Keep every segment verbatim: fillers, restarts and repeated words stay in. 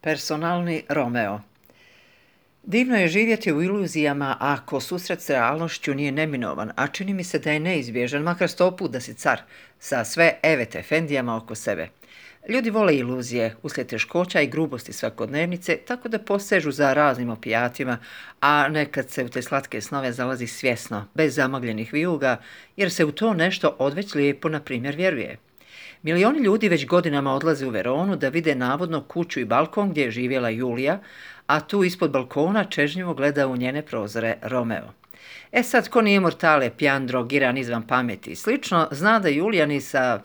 Personalni Romeo. Divno je živjeti u iluzijama ako susret s realnošću nije neminovan, a čini mi se da je neizbježan, makar sto put da si car, sa sve evet efendijama oko sebe. Ljudi vole iluzije uslijed teškoća i grubosti svakodnevnice, tako da posežu za raznim opijatima, a nekad se u te slatke snove zalazi svjesno, bez zamagljenih vijuga, jer se u to nešto odveć lijepo, na primjer, vjeruje. Milioni ljudi već godinama odlaze u Veronu da vide navodno kuću i balkon gdje je živjela Julija, a tu ispod balkona čežnjivo gleda u njene prozore Romeo. E sad, ko nije mortale, pijan, drogiran, izvan pameti i slično, zna da Julija ni sa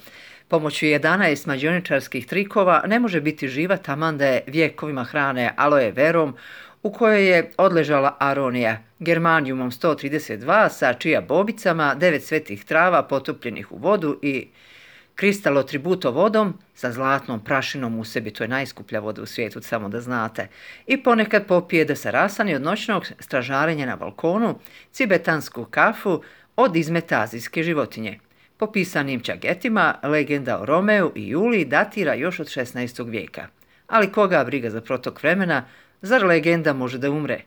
pomoću jedanaest mađioničarskih trikova ne može biti živa taman da je vjekovima hrane aloe verom, u kojoj je odležala aronija, germanijumom sto trideset dva sa čija bobicama, devet svetih trava potopljenih u vodu i kristalotributo vodom sa zlatnom prašinom u sebi, to je najskuplja voda u svijetu, samo da znate, i ponekad popije da se rasani od noćnog stražarenja na balkonu, cibetansku kafu od izmeta azijske životinje. Po pisanim čagetima, legenda o Romeu i Juliji datira još od šesnaestog vijeka. Ali koga briga za protok vremena, zar legenda može da umre?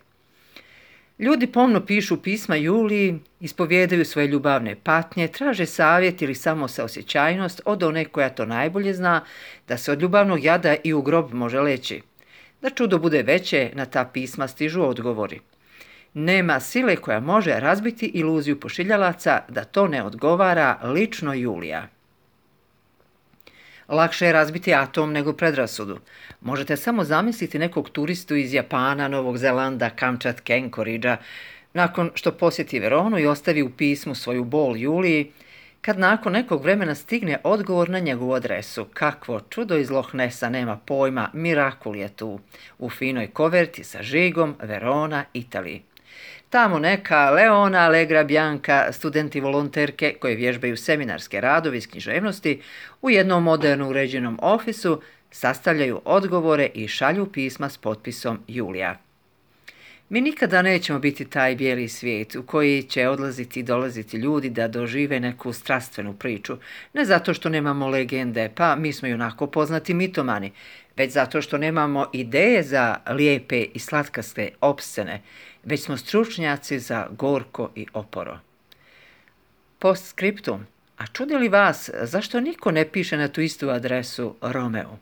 Ljudi pomno pišu pisma Juliji, ispovjedaju svoje ljubavne patnje, traže savjet ili samo saosjećajnost od one koja to najbolje zna, da se od ljubavnog jada i u grob može leći. Da čudo bude veće, na ta pisma stižu odgovori. Nema sile koja može razbiti iluziju pošiljalaca da to ne odgovara lično Julija. Lakše je razbiti atom nego predrasudu. Možete samo zamisliti nekog turistu iz Japana, Novog Zelanda, Kamčatke, Enkoridža, nakon što posjeti Veronu i ostavi u pismu svoju bol Juliji, kad nakon nekog vremena stigne odgovor na njegovu adresu. Kakvo čudo iz Loch Nessa, nema pojma, mirakul je tu, u finoj koverti sa žigom Verona, Italiji. Tamo neka Leona Allegra Bianca, studenti volonterke koje vježbaju seminarske radove iz književnosti, u jednom moderno uređenom ofisu sastavljaju odgovore i šalju pisma s potpisom Julija. Mi nikada nećemo biti taj bijeli svijet u koji će odlaziti i dolaziti ljudi da dožive neku strastvenu priču, ne zato što nemamo legende, pa mi smo i onako poznati mitomani, već zato što nemamo ideje za lijepe i slatkaste opscene, već smo stručnjaci za gorko i oporo. Postscriptum. A čudi li vas zašto niko ne piše na tu istu adresu Romeu?